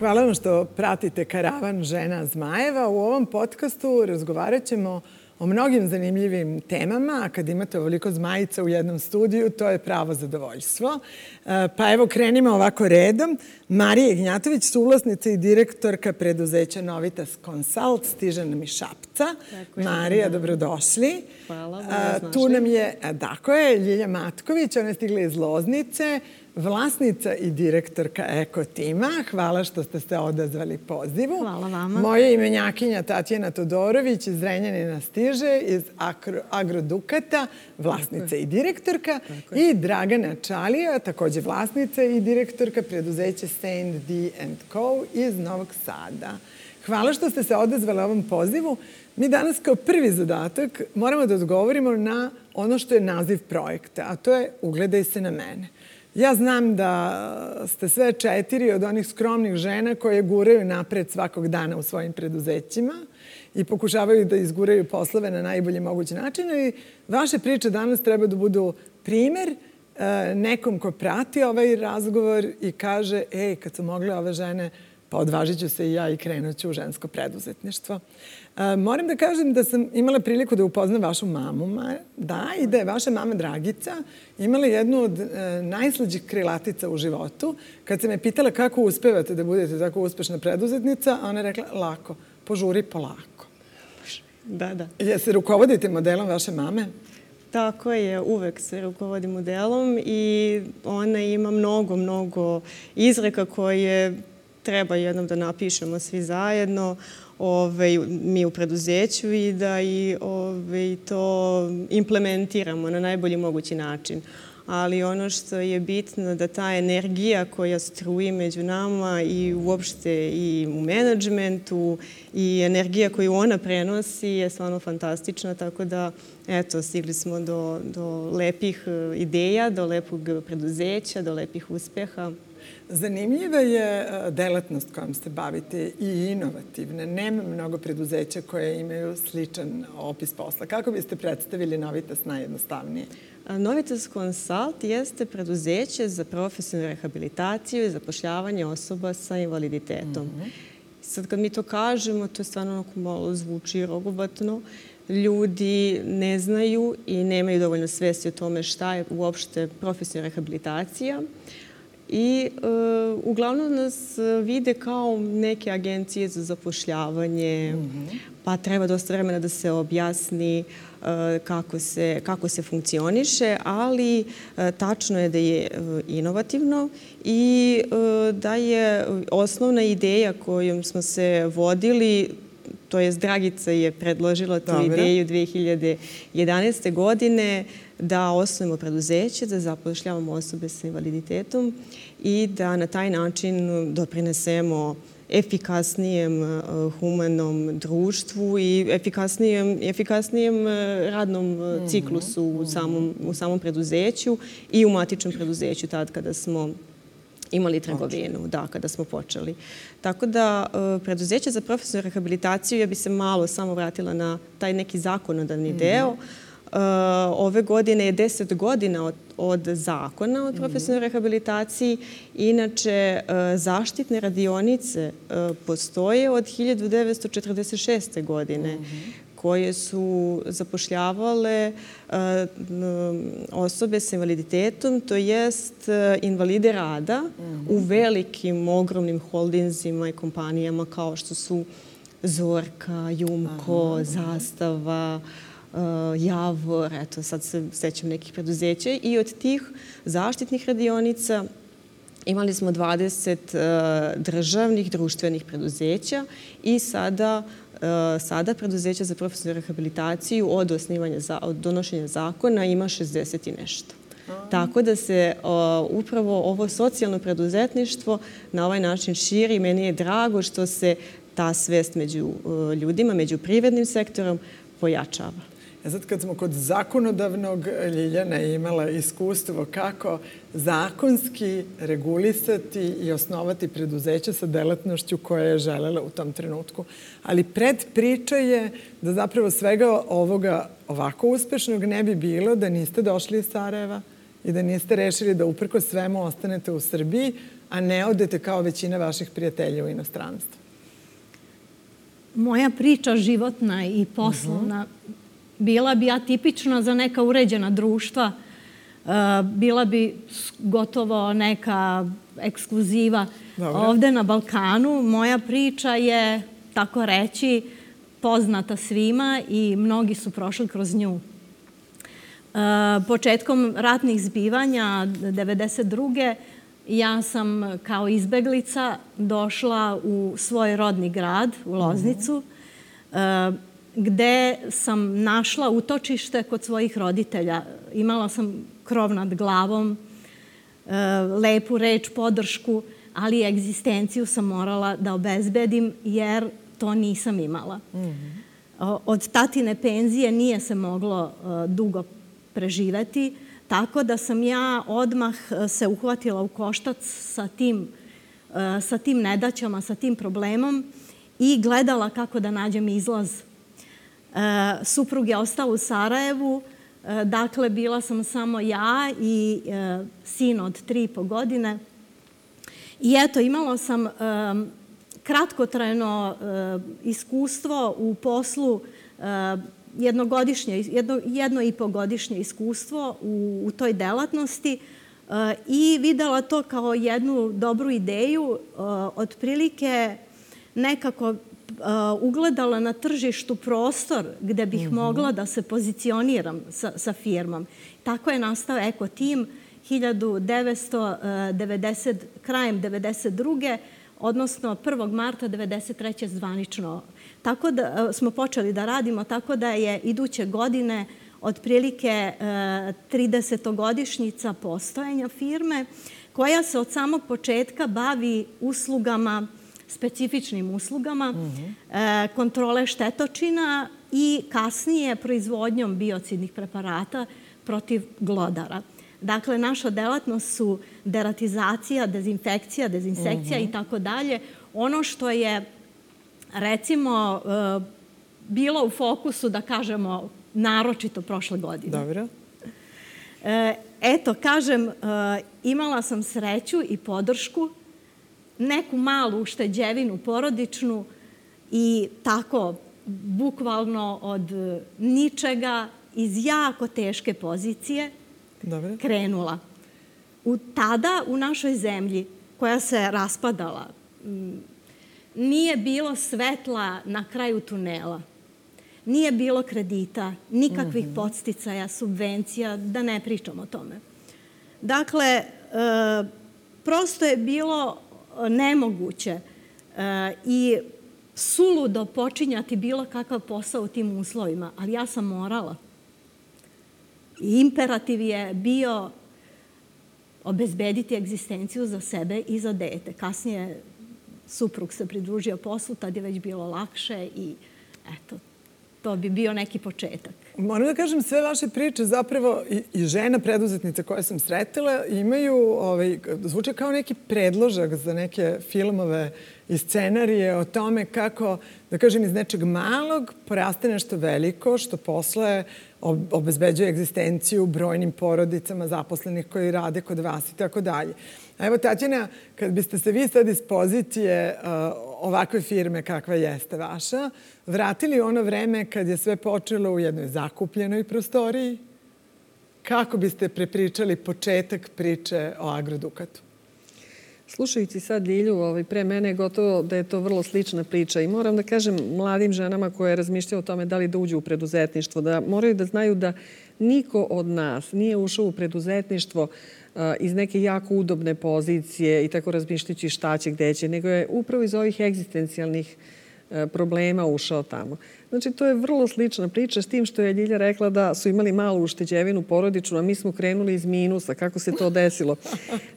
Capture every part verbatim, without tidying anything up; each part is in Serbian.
Hvala vam što pratite Karavan žena Zmajeva. U ovom podcastu razgovarat ćemo o mnogim zanimljivim temama, a kad imate ovoliko zmajica u jednom studiju, to je pravo zadovoljstvo. Pa evo, krenimo ovako redom. Marija Ignjatović, suvlasnica i direktorka preduzeća Novitas Consult, stiže nam iz Šapca. Marija, dobrodošli. Hvala, tu nam je, tako je, Ljilja Matković, ona je stigla iz Loznice, vlasnica i direktorka Eko tima. Hvala što ste se odazvali pozivu. Hvala vama. Moja imenjakinja Tatjana Todorović iz Zrenjanina stiže, iz Agrodukata, vlasnica i direktorka. I Dragana Čalija, takođe vlasnica i direktorka preduzeća Saint D and Co. iz Novog Sada. Hvala što ste se odazvali ovom pozivu. Mi danas kao prvi zadatak moramo da odgovorimo na ono što je naziv projekta, a to je Ugledaj se na mene. Ja znam da ste sve četiri od onih skromnih žena koje guraju napred svakog dana u svojim preduzećima i pokušavaju da izguraju poslove na najbolji mogući način. I vaše priče danas treba da budu primer nekom ko prati ovaj razgovor i kaže, ej, kad su mogle ove žene, pa odvažit ću se i ja i krenut ću u žensko preduzetništvo. Moram da kažem da sam imala priliku da upoznam vašu mamu, da, i da je vaša mama Dragica imala jednu od najslađih krilatica u životu. Kad se me pitala kako uspevate da budete tako uspešna preduzetnica, ona je rekla, lako, požuri polako. Da, da. Je se rukovodite modelom vaše mame? Tako je, uvek se rukovodi modelom i ona ima mnogo, mnogo izreka koje treba jednom da napišemo svi zajedno, Ove, mi u preduzeću i da i ove, to implementiramo na najbolji mogući način. Ali ono što je bitno da ta energija koja struji među nama i uopšte i u menadžmentu i energija koju ona prenosi je stvarno fantastična, tako da eto, stigli smo do, do lepih ideja, do lepog preduzeća, do lepih uspeha. Zanimljiva je delatnost kojom se bavite i inovativna. Nema mnogo preduzeća koje imaju sličan opis posla. Kako biste predstavili Novitas najjednostavnije? Novitas Consult jeste preduzeće za profesionalnu rehabilitaciju i zapošljavanje osoba sa invaliditetom. Sad kad mi to kažemo, to je stvarno onako malo zvuči rogobatno. Ljudi ne znaju i nemaju dovoljno svesti o tome šta je uopšte profesionalna rehabilitacija. I e, uglavnom nas vide kao neke agencije za zapošljavanje, mm-hmm. pa treba dosta vremena da se objasni e, kako, se, kako se funkcioniše, ali e, tačno je da je e, inovativno i e, da je osnovna ideja kojom smo se vodili, to jest Dragica je predložila tu Dobre. ideju dve hiljade jedanaeste. godine, da osnovimo preduzeće, da zapošljavamo osobe sa invaliditetom i da na taj način doprinesemo efikasnijem humanom društvu i efikasnijem, efikasnijem radnom ciklusu u samom, u samom preduzeću i u matičnom preduzeću tad kada smo imali trgovinu, da, kada smo počeli. Tako da preduzeće za profesionalnu rehabilitaciju, ja bi se malo samo vratila na taj neki zakonodavni deo. Ove godine je deset godina od, od zakona o profesionalnoj rehabilitaciji. Inače, zaštitne radionice postoje od hiljadu devetsto četrdeset šeste. godine, koje su zapošljavale osobe sa invaliditetom, to jest invalide rada u velikim, ogromnim holdinzima i kompanijama kao što su Zorka, Jumko, Zastava, Javor, eto sad se sećam nekih preduzeća i od tih zaštitnih radionica imali smo dvadeset državnih društvenih preduzeća i sada sada preduzeća za profesionalnu rehabilitaciju od osnivanja, od donošenja zakona ima šezdeset i nešto. Tako da se upravo ovo socijalno preduzetništvo na ovaj način širi. Meni je drago što se ta svest među ljudima, među privrednim sektorom pojačava. Sad kad smo kod zakonodavnog, Ljiljana je imala iskustvo kako zakonski regulisati i osnovati preduzeće sa delatnošću koja je želela u tom trenutku. Ali predpriča je da zapravo svega ovoga ovako uspešnog ne bi bilo da niste došli iz Sarajeva i da niste rešili da uprkos svemu ostanete u Srbiji, a ne odete kao većina vaših prijatelja u inostranstvo? Moja priča životna i poslovna bila bi atipična za neka uređena društva. Bila bi gotovo neka ekskluziva. Ovde na Balkanu moja priča je, tako reći, poznata svima i mnogi su prošli kroz nju. Početkom ratnih zbivanja devedeset druge ja sam kao izbeglica došla u svoj rodni grad, u Loznicu, gde sam našla utočište kod svojih roditelja. Imala sam krov nad glavom, lepu reč, podršku, ali egzistenciju sam morala da obezbedim jer to nisam imala. Od tatine penzije nije se moglo dugo preživeti, tako da sam ja odmah se uhvatila u koštac sa tim, sa tim nedaćama, sa tim problemom i gledala kako da nađem izlaz. Suprug je ostao u Sarajevu, dakle bila sam samo ja i sin od tri i po godine. I eto, imala sam kratkotrajno iskustvo u poslu, jednogodišnje, jedno, jedno i po godišnje iskustvo u, u toj delatnosti i videla to kao jednu dobru ideju, otprilike nekako ugledala na tržištu prostor gde bih mm-hmm. mogla da se pozicioniram sa, sa firmom. Tako je nastao Eko Tim hiljadu devetsto devedeset, krajem devedeset druge odnosno prvog marta devedeset treće zvanično. Tako da smo počeli da radimo, tako da je iduće godine otprilike tridesetogodišnjica postojanja firme koja se od samog početka bavi uslugama, specifičnim uslugama, mm-hmm. kontrole štetočina i kasnije proizvodnjom biocidnih preparata protiv glodara. Dakle, naša delatnost su deratizacija, dezinfekcija, dezinsekcija i tako dalje. Ono što je, recimo, bilo u fokusu, da kažemo, naročito prošle godine. Dobro. Eto, kažem, imala sam sreću i podršku, neku malu ušteđevinu porodičnu i tako, bukvalno od ničega, iz jako teške pozicije, Dobre. krenula. U, tada u našoj zemlji, koja se raspadala, nije bilo svetla na kraju tunela. Nije bilo kredita, nikakvih mm-hmm. podsticaja, subvencija, da ne pričam o tome. Dakle, e, prosto je bilo nemoguće e, i suludo počinjati bilo kakav posao u tim uslovima, ali ja sam morala. Imperativ je bio obezbediti egzistenciju za sebe i za dete. Kasnije suprug se pridružio poslu, tad je već bilo lakše i eto, to bi bio neki početak. Moram da kažem, sve vaše priče zapravo i, i žena preduzetnica koje sam sretila imaju, ovaj, zvuče kao neki predložak za neke filmove i scenarije o tome kako, da kažem, iz nečeg malog poraste nešto veliko, što posle obezbeđuje egzistenciju brojnim porodicama zaposlenih koji rade kod vas i tako dalje. A evo, Tatjana, kad biste se vi sad iz pozicije uh, ovakve firme kakva jeste vaša, vratili ono vreme kad je sve počelo u jednoj zakupljenoj prostoriji, kako biste prepričali početak priče o Agrodukatu? Slušajući sad Ljilju, ovaj, pre mene je gotovo da je to vrlo slična priča i moram da kažem mladim ženama koje razmišljaju o tome da li da uđu u preduzetništvo, da moraju da znaju da niko od nas nije ušao u preduzetništvo uh, iz neke jako udobne pozicije i tako razmišljajući šta će, gde će, nego je upravo iz ovih egzistencijalnih uh, problema ušao tamo. Znači, to je vrlo slična priča s tim što je Ljilja rekla da su imali malu ušteđevinu porodičnu, a mi smo krenuli iz minusa. Kako se to desilo?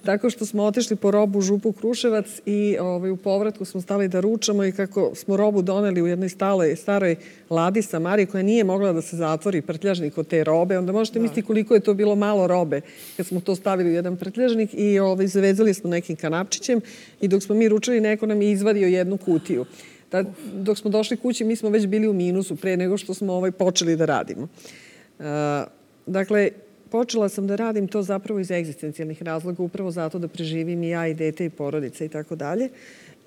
Tako što smo otišli po robu u Župu Kruševac i ovaj, u povratku smo stali da ručamo i kako smo robu doneli u jednoj staloj, staroj ladi Samari koja nije mogla da se zatvori prtljažnik od te robe, onda možete misliti koliko je to bilo malo robe kad smo to stavili u jedan prtljažnik i ovaj, zavezali smo nekim kanapčićem i dok smo mi ručali neko nam je izvadio jednu kutiju. Da, dok smo došli kući, mi smo već bili u minusu pre nego što smo ovaj, počeli da radimo. Uh, dakle, počela sam da radim to zapravo iz egzistencijalnih razloga, upravo zato da preživim i ja i dete i porodica i tako dalje.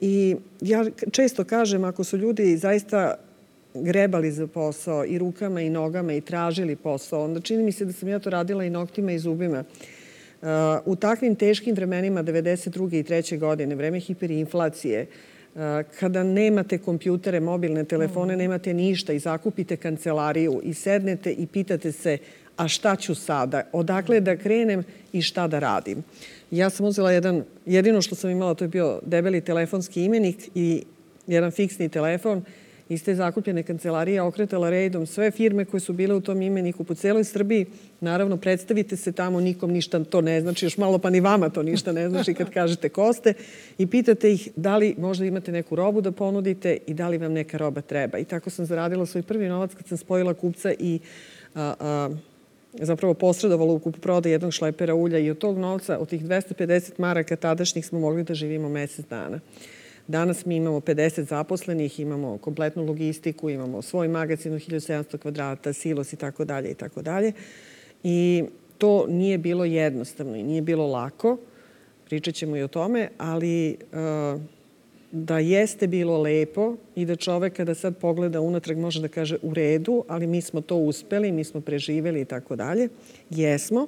I ja često kažem, ako su ljudi zaista grebali za posao i rukama i nogama i tražili posao, onda čini mi se da sam ja to radila i noktima i zubima. U takvim teškim vremenima devedeset druge i treće godine, vreme hiperinflacije, kada nemate kompjutere, mobilne telefone, nemate ništa i zakupite kancelariju i sednete i pitate se a šta ću sada, odakle da krenem i šta da radim. Ja sam uzela jedan, jedino što sam imala to je bio debeli telefonski imenik i jedan fiksni telefon. Iz te zakupljene kancelarije okretala redom sve firme koje su bile u tom imeniku po celoj Srbiji. Naravno, predstavite se tamo, nikom ništa to ne znači, još malo pa ni vama to ništa ne znači kad kažete ko ste i pitate ih da li možda imate neku robu da ponudite i da li vam neka roba treba. I tako sam zaradila svoj prvi novac kad sam spojila kupca i a, a, zapravo posredovala u kupoprodaji jednog šlepera ulja i od tog novca, od tih dvesta pedeset maraka tadašnjih smo mogli da živimo mesec dana. Danas mi imamo pedeset zaposlenih, imamo kompletnu logistiku, imamo svoj magazin od hiljadu sedamsto kvadrata, silos i tako dalje i tako dalje. I to nije bilo jednostavno i nije bilo lako. Pričat ćemo i o tome, ali da jeste bilo lepo i da čovek kada sad pogleda unatrag može da kaže u redu, ali mi smo to uspeli, mi smo preživeli i tako dalje. Jesmo.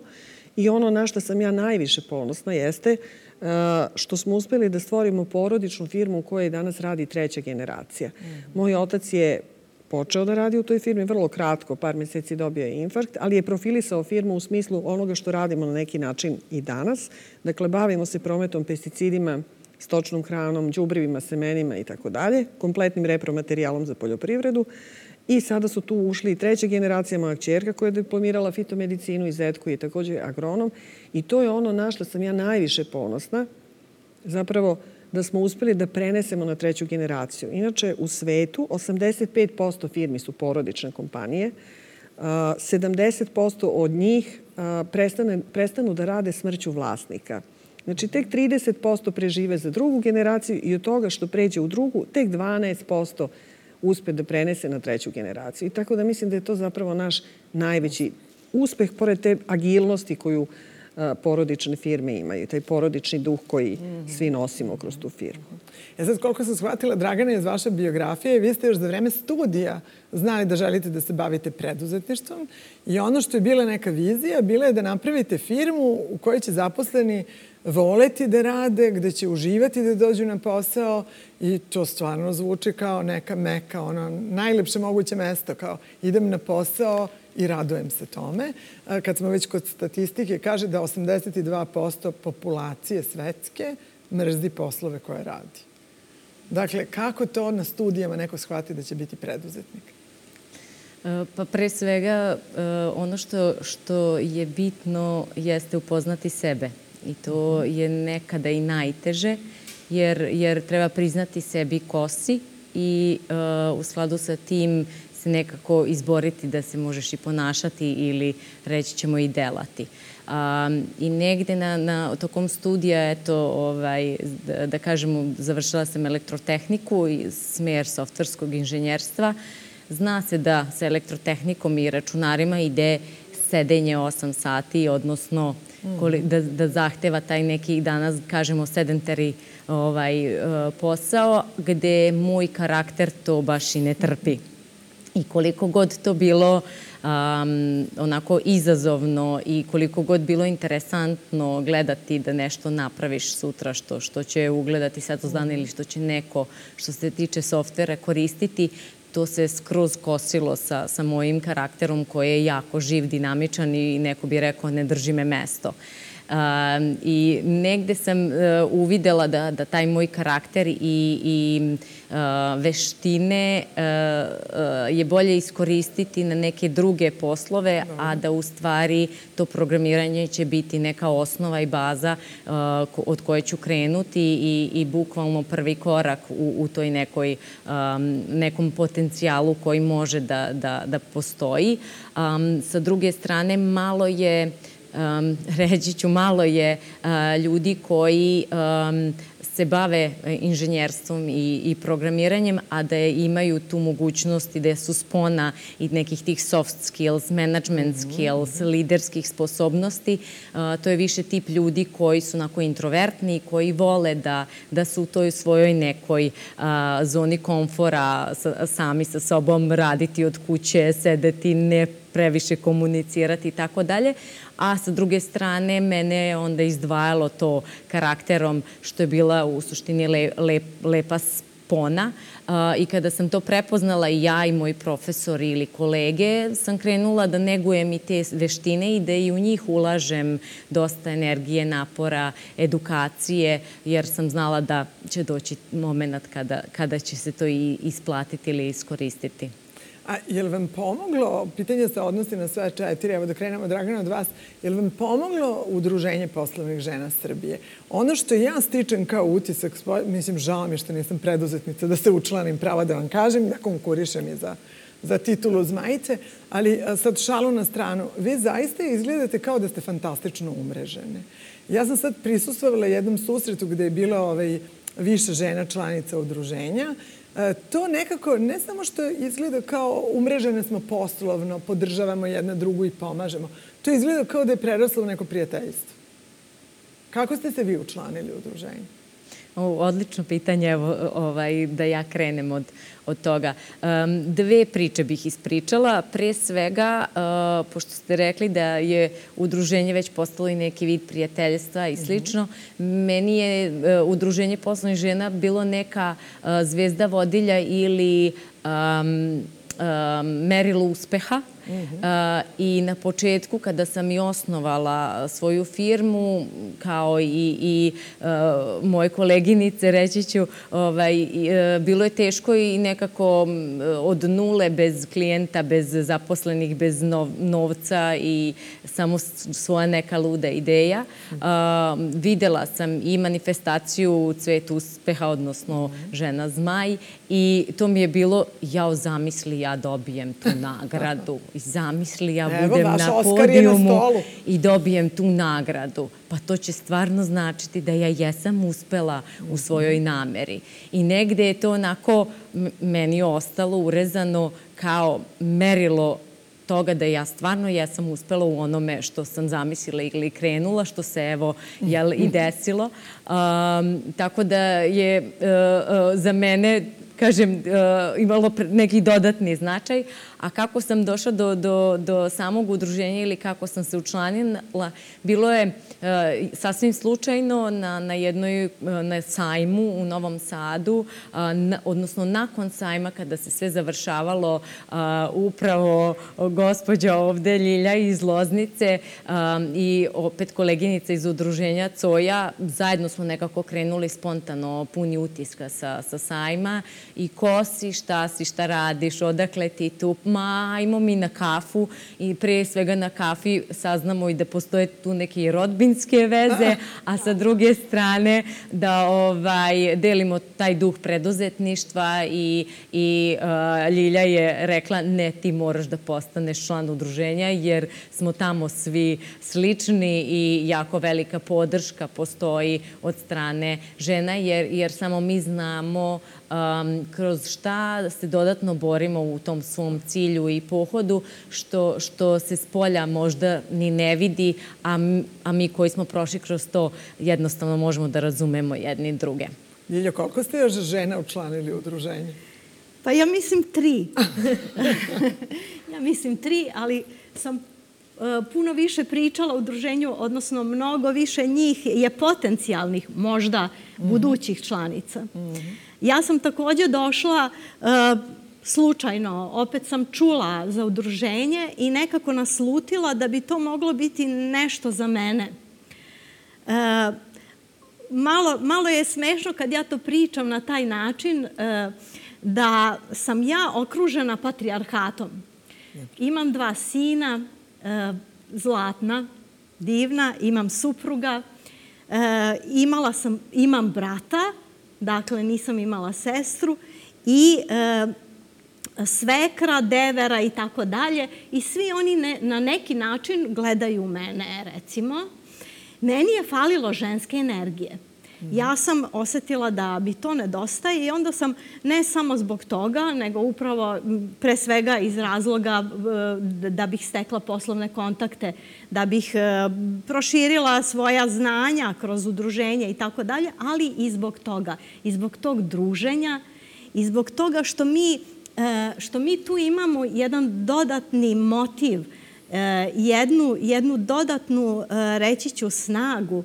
I ono na što sam ja najviše ponosna jeste što smo uspeli da stvorimo porodičnu firmu u kojoj danas radi treća generacija. Moj otac je počeo da radi u toj firmi, vrlo kratko, par meseci dobio je infarkt, ali je profilisao firmu u smislu onoga što radimo na neki način i danas. Dakle, bavimo se prometom pesticidima, stočnom hranom, đubrivima, semenima i tako dalje, kompletnim repromaterijalom za poljoprivredu. I sada su tu ušli i treća generacija, moja kćerka koja je diplomirala fitomedicinu i zet koji je također agronom. I to je ono na što sam ja najviše ponosna, zapravo da smo uspeli da prenesemo na treću generaciju. Inače, u svetu osamdeset pet posto firmi su porodične kompanije, sedamdeset posto od njih prestane, prestanu da rade smrću vlasnika. Znači, tek trideset posto prežive za drugu generaciju i od toga što pređe u drugu, tek dvanaest posto uspe da prenese na treću generaciju. I tako da mislim da je to zapravo naš najveći uspeh, pored te agilnosti koju porodične firme imaju, taj porodični duh koji svi nosimo kroz tu firmu. Ja sad, koliko sam shvatila, Dragana, iz vaše biografije, vi ste još za vreme studija znali da želite da se bavite preduzetništvom i ono što je bila neka vizija, bila je da napravite firmu u kojoj će zaposleni voleti da rade, gde će uživati da dođu na posao i to stvarno zvuči kao neka meka, ono najlepše moguće mesto, kao idem na posao i radujem se tome. Kad smo već kod statistike, kaže da osamdeset dva posto populacije svetske mrzi poslove koje radi. Dakle, kako to na studijama neko shvati da će biti preduzetnik? Pa pre svega, ono što, što je bitno jeste upoznati sebe. I to je nekada i najteže, jer, jer treba priznati sebi ko si i uh, u skladu sa tim se nekako izboriti da se možeš i ponašati ili reći ćemo i delati. Um, I negde na, na tokom studija, eto, ovaj, da, da kažemo, završila sam elektrotehniku i smer softverskog inženjerstva. Zna se da sa elektrotehnikom i računarima ide sedenje osam sati, odnosno da, da zahteva taj neki, danas kažemo, sedentari ovaj, posao, gde moj karakter to baš i ne trpi. I koliko god to bilo um, onako izazovno i koliko god bilo interesantno gledati da nešto napraviš sutra što, što će ugledati svetlost ili što će neko što se tiče softvera koristiti, to se skroz kosilo sa, sa mojim karakterom koji je jako živ, dinamičan i neko bi rekao ne drži me mesto. Uh, I negde sam uh, uvidela da, da taj moj karakter i, i uh, veštine uh, uh, je bolje iskoristiti na neke druge poslove, a da u stvari to programiranje će biti neka osnova i baza uh, od koje ću krenuti i, i bukvalno prvi korak u, u toj nekoj, um, nekom potencijalu koji može da, da, da postoji. Um, sa druge strane, malo je um, reći ću, malo je uh, ljudi koji um, se bave inženjerstvom i, i programiranjem, a da je, imaju tu mogućnost i da su spona i nekih tih soft skills, management skills, liderskih sposobnosti. Uh, to je više tip ljudi koji su onako introvertni, koji vole da, da su u toj svojoj nekoj uh, zoni komfora, sa, sami sa sobom raditi od kuće, sedeti, ne previše komunicirati i tako dalje. A sa druge strane, mene je onda izdvajalo to karakterom što je bila u suštini le, le, lepa spona. Uh, I kada sam to prepoznala i ja i moji profesori ili kolege, sam krenula da negujem i te veštine i da i u njih ulažem dosta energije, napora, edukacije, jer sam znala da će doći moment kada, kada će se to i isplatiti ili iskoristiti. A je li vam pomoglo, pitanje se odnosi na sve četiri, evo da krenemo, Dragana, od vas, je li vam pomoglo Udruženje poslovnih žena Srbije? Ono što ja stičem kao utisak, mislim, žao mi je što nisam preduzetnica, da se učlanim, pravo da vam kažem, da konkurišem i za, za titulu Zmajice, ali sad šalu na stranu, vi zaista izgledate kao da ste fantastično umrežene. Ja sam sad prisustvovala jednom susretu gde je bilo ovaj, više žena članica udruženja. To nekako, ne samo što izgleda kao umrežene smo poslovno, podržavamo jedna drugu i pomažemo, to izgleda kao da je preraslo u neko prijateljstvo. Kako ste se vi učlanili u udruženju? Odlično pitanje, evo, ovaj, da ja krenem od, od toga. Um, dve priče bih ispričala. Pre svega, uh, pošto ste rekli da je udruženje već postalo i neki vid prijateljstva i slično, mm-hmm. meni je uh, udruženje poslovnih žena bilo neka uh, zvezda vodilja ili um, um, merilo uspeha. Uh, I na početku, kada sam i osnovala svoju firmu, kao i, i uh, moje koleginice, reći ću, ovaj, uh, bilo je teško i nekako od nule, bez klijenta, bez zaposlenih, bez nov, novca i samo svoja neka luda ideja. Uh, videla sam i manifestaciju Cvet uspeha, odnosno Žena Zmaj, i to mi je bilo, jao, zamisli, ja dobijem tu nagradu. Zamisli, ja budem Evo, na podijumu na i dobijem tu nagradu. Pa to će stvarno značiti da ja jesam uspela u svojoj nameri. I negde je to onako meni ostalo urezano kao merilo toga da ja stvarno jesam uspela u onome što sam zamislila ili krenula, što se evo jel, i desilo. Um, tako da je uh, uh, za mene, kažem, uh, imalo neki dodatni značaj. A kako sam došla do, do, do samog udruženja ili kako sam se učlanila, bilo je uh, sasvim slučajno na, na jednoj uh, na sajmu u Novom Sadu, uh, na, odnosno nakon sajma kada se sve završavalo, uh, upravo gospođa ovde, Ljilja iz Loznice um, i opet koleginica iz udruženja Coja, zajedno smo nekako krenuli spontano, puni utiska sa, sa sajma i ko si, šta si, šta radiš, odakle ti tu, ma, ajmo mi na kafu i pre svega na kafi saznamo i da postoje tu neke rodbinske veze, a sa druge strane da ovaj, delimo taj duh preduzetništva i, i uh, Ljilja je rekla ne, ti moraš da postaneš član udruženja jer smo tamo svi slični i jako velika podrška postoji od strane žena jer, jer samo mi znamo Um, kroz šta se dodatno borimo u tom svom cilju i pohodu, što, što se s polja možda ni ne vidi, a, a mi koji smo prošli kroz to jednostavno možemo da razumemo jedni druge. Ljiljo, koliko ste još žena učlanili u udruženje? Pa ja mislim tri. ja mislim tri, ali sam uh, puno više pričala o udruženju, odnosno mnogo više njih je potencijalnih možda mm-hmm. budućih članica. Mm-hmm. Ja sam takođe došla uh, slučajno, opet sam čula za udruženje i nekako naslutila da bi to moglo biti nešto za mene. Uh, malo, malo je smešno kad ja to pričam na taj način uh, da sam ja okružena patrijarhatom. Imam dva sina, uh, zlatna, divna, imam supruga, uh, imala sam, imam brata, dakle, nisam imala sestru i e, svekra, devera i tako dalje. I svi oni ne, na neki način gledaju mene, recimo. Meni je falilo ženske energije. Ja sam osetila da mi to nedostaje i onda sam ne samo zbog toga, nego upravo pre svega iz razloga da bih stekla poslovne kontakte, da bih proširila svoja znanja kroz udruženje i tako dalje, ali i zbog toga, i zbog tog druženja, i zbog toga što mi, što mi tu imamo jedan dodatni motiv, jednu, jednu dodatnu, reći ću, snagu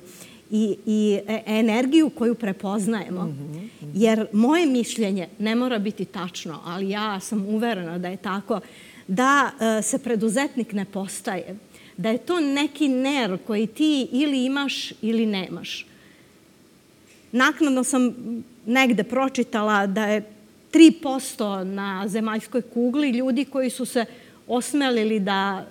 i, i energiju koju prepoznajemo. Mm-hmm. Jer moje mišljenje ne mora biti tačno, ali ja sam uverena da je tako, da se preduzetnik ne postaje, da je to neki ner koji ti ili imaš ili nemaš. Naknadno sam negde pročitala da je tri posto na zemaljskoj kugli ljudi koji su se osmelili da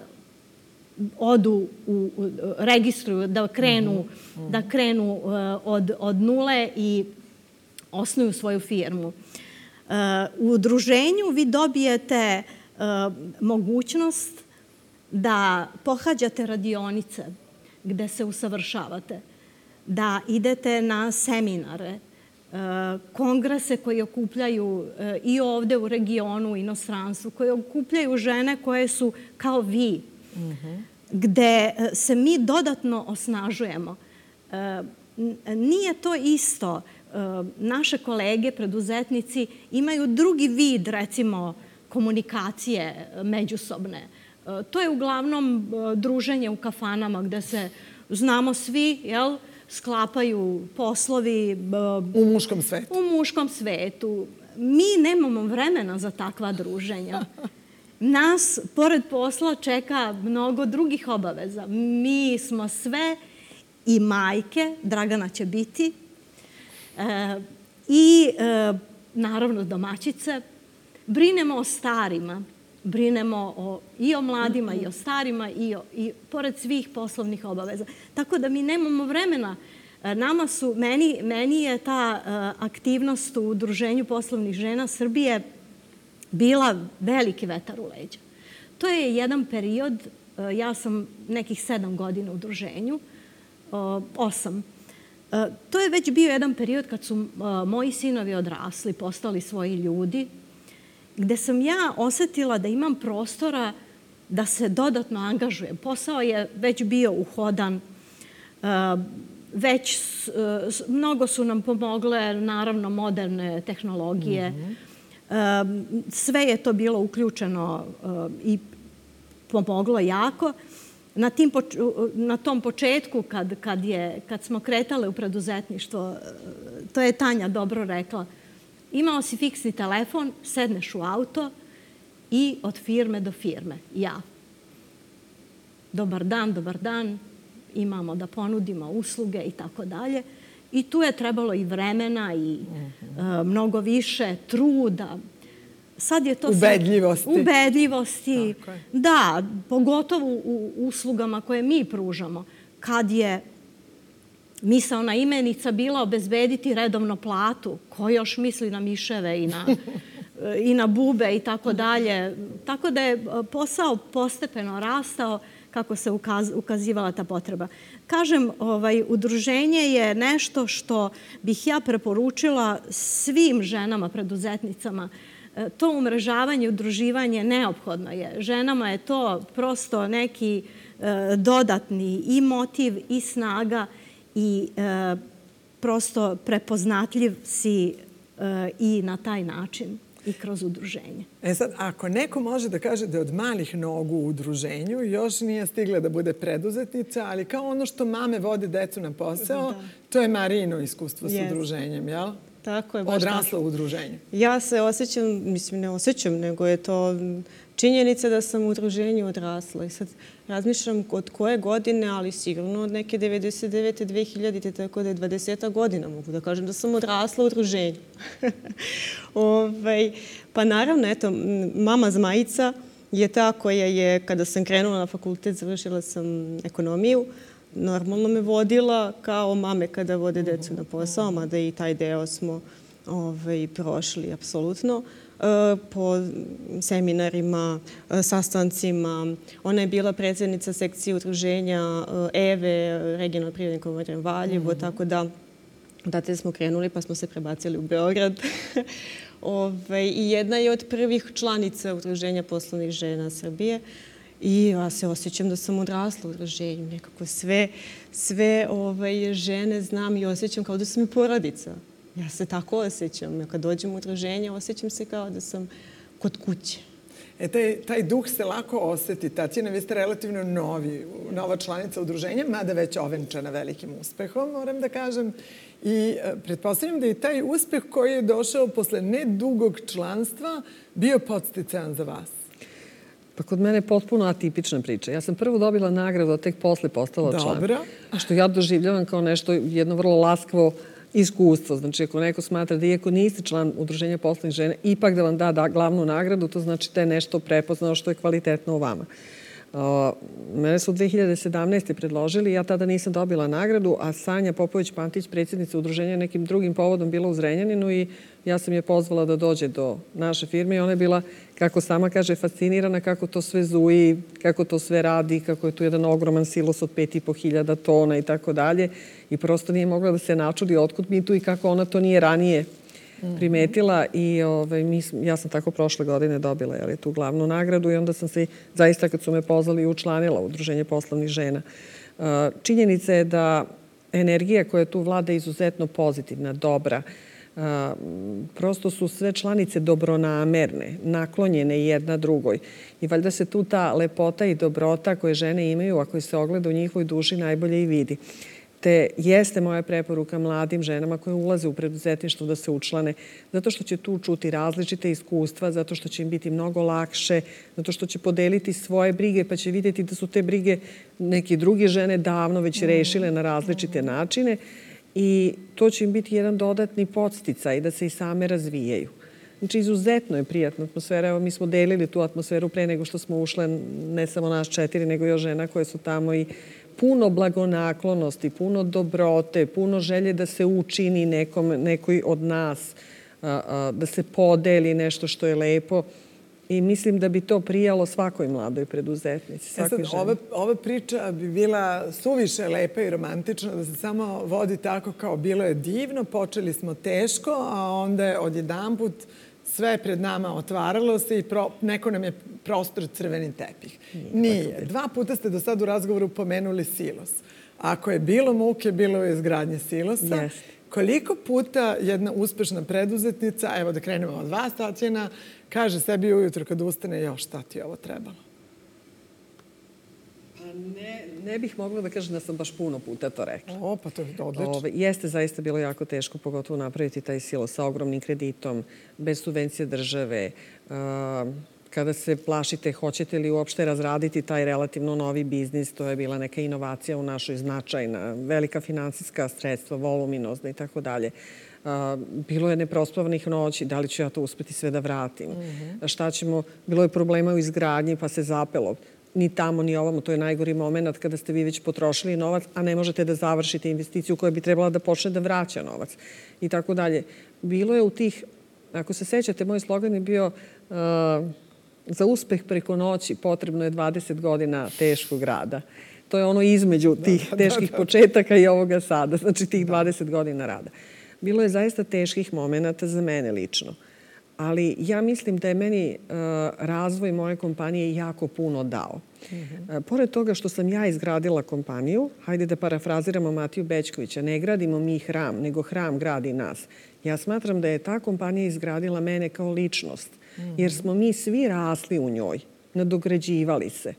odu, u, u, registruju, da krenu, mm-hmm. da krenu uh, od, od nule i osnuju svoju firmu. Uh, u udruženju vi dobijete uh, mogućnost da pohađate radionice gde se usavršavate, da idete na seminare, kongrese koji okupljaju i ovde u regionu, inostranstvu, koji okupljaju žene koje su kao vi, mm-hmm. gde se mi dodatno osnažujemo. Nije to isto. Naše kolege, preduzetnici, imaju drugi vid, recimo, komunikacije međusobne. To je uglavnom druženje u kafanama gde se znamo svi, jel', sklapaju poslovi u muškom svetu. U muškom svetu. Mi nemamo vremena za takva druženja. Nas, pored posla, čeka mnogo drugih obaveza. Mi smo sve i majke, Dragana će biti, e, i e, naravno domaćice. Brinemo o starima. Brinemo o, i o mladima i o starima i, o, i pored svih poslovnih obaveza. Tako da mi nemamo vremena. Nama su, meni, meni je ta uh, aktivnost u Udruženju poslovnih žena Srbije bila veliki vetar u leđa. To je jedan period, uh, ja sam nekih sedam godina u udruženju, uh, osam. Uh, to je već bio jedan period kad su uh, moji sinovi odrasli, postali svoji ljudi, gde sam ja osetila da imam prostora da se dodatno angažujem. Posao je već bio uhodan, već mnogo su nam pomogle, naravno, moderne tehnologije. Mm-hmm. Sve je to bilo uključeno i pomoglo jako. Na, tim, na tom početku, kad, kad, je, kad smo kretale u preduzetništvo, to je Tanja dobro rekla, imao si fiksni telefon, sedneš u auto i od firme do firme. Ja. Dobar dan, dobar dan. Imamo da ponudimo usluge i tako dalje. I tu je trebalo i vremena i uh-huh. uh, mnogo više truda. Sad je to ubedljivosti. Sad, ubedljivosti. Da, pogotovo u uslugama koje mi pružamo. Kad je misaona imenica bila obezbediti redovno platu, ko još misli na miševe i na, i na bube i tako dalje. Tako da je posao postepeno rastao kako se ukaz, ukazivala ta potreba. Kažem, ovaj, udruženje je nešto što bih ja preporučila svim ženama, preduzetnicama. To umrežavanje, udruživanje neophodno je. Ženama je to prosto neki e, dodatni i motiv i snaga i e, prosto prepoznatljiv si e, i na taj način i kroz udruženje. E sad, ako neko može da kaže da je od malih nogu u udruženju, još nije stigla da bude preduzetnica, ali kao ono što mame vode decu na posao, da. To je Marijino iskustvo yes. s udruženjem, jel? Tako je. Baš odrasla u udruženju. Ja se osjećam, mislim ne osjećam, nego je to činjenica da sam u udruženju odrasla. I sad razmišljam od koje godine, ali sigurno od neke devedeset devete dve hiljadite, tako da je dvadeseta godina. Mogu da kažem da sam odrasla u udruženju. Ove, pa naravno, eto, mama Zmajica je ta koja je, kada sam krenula na fakultet, završila sam ekonomiju, normalno me vodila kao mame kada vode decu na posao, mada i taj deo smo ovaj, prošli, apsolutno. po seminarima, sastancima. Ona je bila predsjednica sekcije udruženja E V E, regionalno privredni komore Valjevo, tako da odatle smo krenuli pa smo se prebacili u Beograd. Ove, I jedna je od prvih članica Udruženja poslovnih žena Srbije. I ja se osjećam da sam odrasla u udruženju. Nekako sve, sve ove, žene znam i osjećam kao da sam i porodica. Ja se tako osjećam. Ja kad dođem u udruženje, osjećam se kao da sam kod kuće. E, taj, taj duh se lako osjeti. Tatjana, vi ste relativno novi, nova članica udruženja, mada već ovenčana velikim uspehom, moram da kažem. I pretpostavljam da je taj uspeh koji je došao posle nedugog članstva bio podsticajan za vas. Pa kod mene je potpuno atipična priča. Ja sam prvo dobila nagradu, a tek posle postala član. Dobro. Što ja doživljavam kao nešto, jedno vrlo laskavo iskustvo. Znači, ako neko smatra da iako niste član Udruženja poslovnih žena, ipak da vam da, da glavnu nagradu, to znači da je nešto prepoznao što je kvalitetno u vama. Uh, mene su dve hiljade sedamnaeste. predložili, ja tada nisam dobila nagradu, a Sanja Popović-Pantić, predsjednica udruženja, nekim drugim povodom bila u Zrenjaninu i ja sam je pozvala da dođe do naše firme i ona je bila, kako sama kaže, fascinirana kako to sve zuji, kako to sve radi, kako je tu jedan ogroman silos od pet i po hiljada tona i tako dalje. I prosto nije mogla da se načudi otkud mi tu i kako ona to nije ranije primetila i ovaj, mi, ja sam tako prošle godine dobila jeli, tu glavnu nagradu i onda sam se zaista kad su me pozvali učlanila u Udruženje poslovnih žena. Činjenica je da energija koja tu vlada je izuzetno pozitivna, dobra. Prosto su sve članice dobronamerne, naklonjene jedna drugoj. I valjda se tu ta lepota i dobrota koje žene imaju, a koje se ogleda u njihovoj duši, najbolje i vidi. Te jeste moja preporuka mladim ženama koje ulaze u preduzetništvo da se učlane, zato što će tu čuti različite iskustva, zato što će im biti mnogo lakše, zato što će podeliti svoje brige, pa će vidjeti da su te brige neke druge žene davno već rešile na različite načine i to će im biti jedan dodatni podsticaj da se i same razvijaju. Znači, izuzetno je prijatna atmosfera. Evo, mi smo delili tu atmosferu pre nego što smo ušle, ne samo nas četiri, nego još žena koje su tamo i puno blagonaklonosti, puno dobrote, puno želje da se učini nekom, nekoj od nas, da se podeli nešto što je lepo. I mislim da bi to prijalo svakoj mladoj preduzetnici, svakoj ženi. Ova, ova priča bi bila suviše lepa i romantična da se samo vodi tako kao bilo je divno, počeli smo teško, a onda je odjedanput sve pred nama otvaralo se i pro, neko nam je prostor crveni tepih. Nije. Dva puta ste do sad u razgovoru pomenuli silos. Ako je bilo muke, bilo je izgradnje silosa. Yes. Koliko puta jedna uspešna preduzetnica, evo da krenemo od vas, Tatjana, kaže sebi ujutro kad ustane, još šta ti ovo trebalo? Ne, ne bih mogla da kažem da sam baš puno puta to rekla. O, pa to je odlično. Ove, jeste zaista bilo jako teško, pogotovo napraviti taj silo sa ogromnim kreditom, bez subvencije države. Uh, kada se plašite, hoćete li uopšte razraditi taj relativno novi biznis, to je bila neka inovacija u našoj značajna, velika finansijska sredstva, voluminozna i tako dalje. Bilo je neprospavanih noći, da li ću ja to uspeti sve da vratim. Mm-hmm. Šta ćemo, bilo je problema u izgradnji pa se zapelo. Ni tamo, ni ovamo, to je najgori moment kada ste vi već potrošili novac, a ne možete da završite investiciju koja bi trebala da počne da vraća novac. I tako dalje. Bilo je u tih, ako se sećate, moj slogan je bio uh, za uspeh preko noći potrebno je dvadeset godina teškog rada. To je ono između tih da, teških da, da. početaka i ovoga sada, znači tih dvadeset godina rada. Bilo je zaista teških momenata za mene lično. Ali ja mislim da je meni uh, razvoj moje kompanije jako puno dao. Mm-hmm. Uh, pored toga što sam ja izgradila kompaniju, hajde da parafraziramo Matiju Bećkovića, ne gradimo mi hram, nego hram gradi nas. Ja smatram da je ta kompanija izgradila mene kao ličnost, mm-hmm. jer smo mi svi rasli u njoj, nadograđivali se.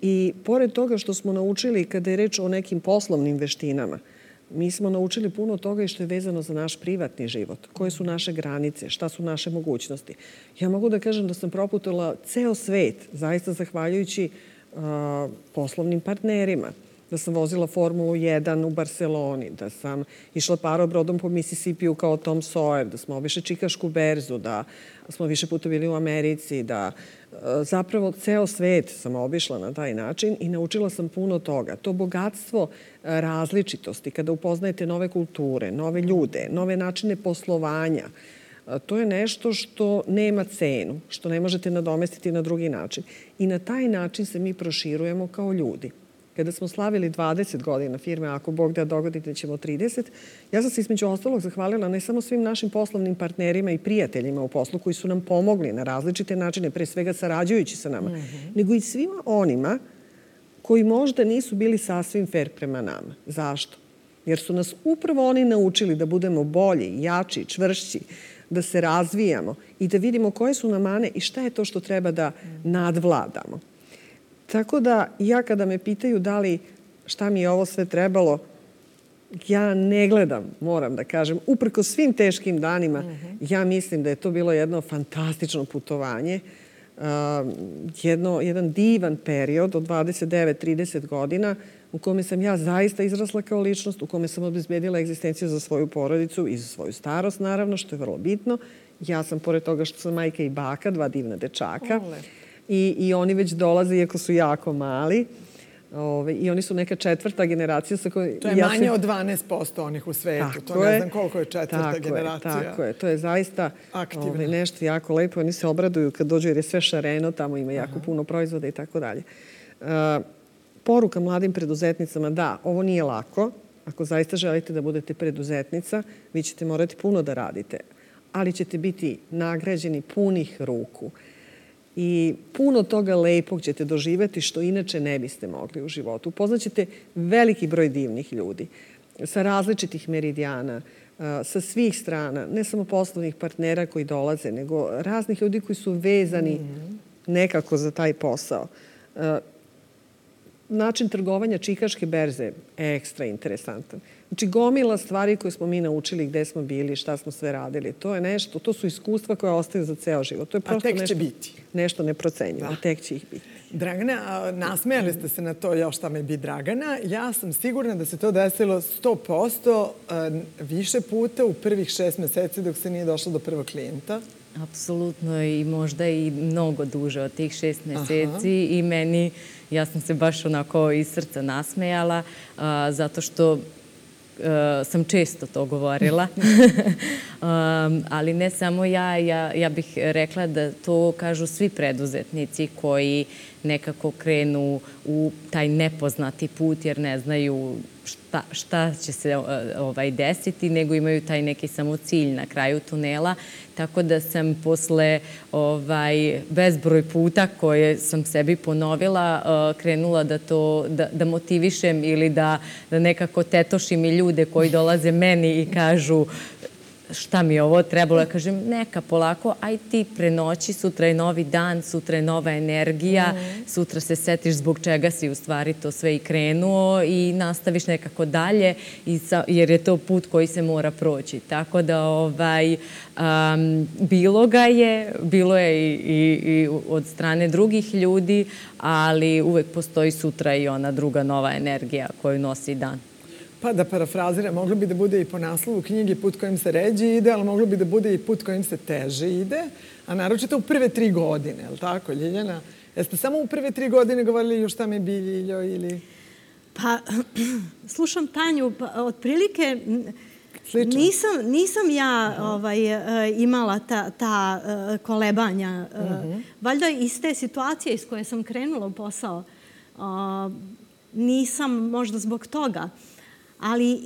I pored toga što smo naučili kada je reč o nekim poslovnim veštinama, mi smo naučili puno toga i što je vezano za naš privatni život. Koje su naše granice, šta su naše mogućnosti. Ja mogu da kažem da sam proputila ceo svet, zaista zahvaljujući uh, poslovnim partnerima. Da sam vozila Formulu jedan u Barceloni, da sam išla parobrodom po Mississippiju kao Tom Sawyer, da smo obišli Čikašku berzu, da smo više puta bili u Americi, da zapravo ceo svet sam obišla na taj način i naučila sam puno toga. To bogatstvo različitosti, kada upoznajete nove kulture, nove ljude, nove načine poslovanja, To je nešto što nema cenu, što ne možete nadomestiti na drugi način. I na taj način se mi proširujemo kao ljudi. Kada smo slavili dvadeset godina firme, ako Bog da dogodite ćemo trideset, ja sam se između ostalog zahvalila ne samo svim našim poslovnim partnerima i prijateljima u poslu koji su nam pomogli na različite načine, pre svega sarađujući sa nama, mm-hmm. nego i svima onima koji možda nisu bili sasvim fair prema nama. Zašto? Jer su nas upravo oni naučili da budemo bolji, jači, čvršći, da se razvijamo i da vidimo koje su nam mane i šta je to što treba da nadvladamo. Tako da ja kada me pitaju da li šta mi je ovo sve trebalo, ja ne gledam, moram da kažem, uprko svim teškim danima, mm-hmm. ja mislim da je to bilo jedno fantastično putovanje, uh, jedno, jedan divan period od dvadeset devet do trideset godina u kome sam ja zaista izrasla kao ličnost, u kome sam obezbedila egzistenciju za svoju porodicu i za svoju starost, naravno, što je vrlo bitno. Ja sam, pored toga što sam majka i baka, dva divna dečaka, Ole. I, i oni već dolaze, iako su jako mali. Ove, I oni su neka četvrta generacija. Sa kojoj, to je ja manje sam... od dvanaest posto onih u svetu. Tako to ne je, znam koliko je četvrta tako generacija. Je, tako je. To je zaista ove, nešto jako lepo. Oni se obraduju kad dođu jer je sve šareno. Tamo ima jako Aha. puno proizvoda i tako dalje. Poruka mladim preduzetnicama, da, ovo nije lako. Ako zaista želite da budete preduzetnica, vi ćete morati puno da radite. Ali ćete biti nagrađeni punih ruku. I puno toga lepog ćete doživjeti što inače ne biste mogli u životu. Upoznaćete veliki broj divnih ljudi sa različitih meridijana, sa svih strana, ne samo poslovnih partnera koji dolaze, nego raznih ljudi koji su vezani nekako za taj posao. Način trgovanja Čikaške berze je ekstra interesantan. Znači, gomila stvari koje smo mi naučili, gde smo bili, šta smo sve radili. To je nešto, to su iskustva koje ostaju za ceo život. To je prosto a tek nešto, će biti. Nešto neprocenjivo. A tek će ih biti. Dragana, nasmejali ste se na to još šta me bi Dragana. Ja sam sigurna da se to desilo sto posto više puta u prvih šest meseci dok se nije došlo do prvog klijenta. Apsolutno i možda i mnogo duže od tih šest meseci. Aha. I meni, ja sam se baš onako iz srca nasmejala a, zato što Uh, sam često to govorila. um, ali ne samo ja, ja, ja bih rekla da to kažu svi preduzetnici koji nekako krenu u taj nepoznati put jer ne znaju šta, šta će se ovaj, desiti, nego imaju taj neki samo cilj na kraju tunela. Tako da sam posle ovaj, bezbroj puta koje sam sebi ponovila uh, krenula da to da, da motivišem ili da, da nekako tetošim i ljude koji dolaze meni i kažu šta mi je ovo trebalo. Ja kažem, neka polako, aj ti prenoći, sutra je novi dan, sutra je nova energija, mm. sutra se setiš zbog čega si u stvari to sve i krenuo i nastaviš nekako dalje, i sa, jer je to put koji se mora proći. Tako da ovaj, um, bilo ga je, bilo je i, i, i od strane drugih ljudi, ali uvek postoji sutra i ona druga nova energija koju nosi dan. Pa da parafraziram, moglo bi da bude i po naslovu knjige put kojim se ređe ide, ali moglo bi da bude i put kojim se teže ide, a naročito u prve tri godine, je li tako, Ljiljana? Jeste samo u prve tri godine govorili još šta me bi, Ljiljo, ili... Pa, slušam Tanju, pa, otprilike nisam, nisam ja ovaj, imala ta, ta kolebanja. Uh-huh. Valjda iz te situacije iz koje sam krenula u posao, nisam možda zbog toga. Ali e,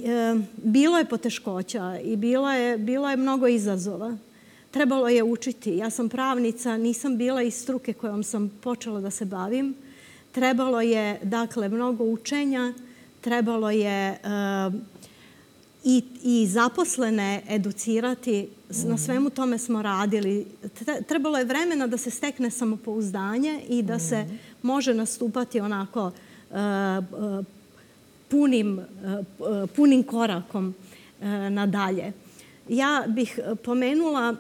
bilo je poteškoća i bilo je, bilo je mnogo izazova. Trebalo je učiti. Ja sam pravnica, nisam bila iz struke kojom sam počela da se bavim. Trebalo je, dakle, mnogo učenja. Trebalo je e, i, i zaposlene educirati. Na svemu tome smo radili. Trebalo je vremena da se stekne samopouzdanje i da se može nastupati onako e, Punim, punim korakom nadalje. Ja bih pomenula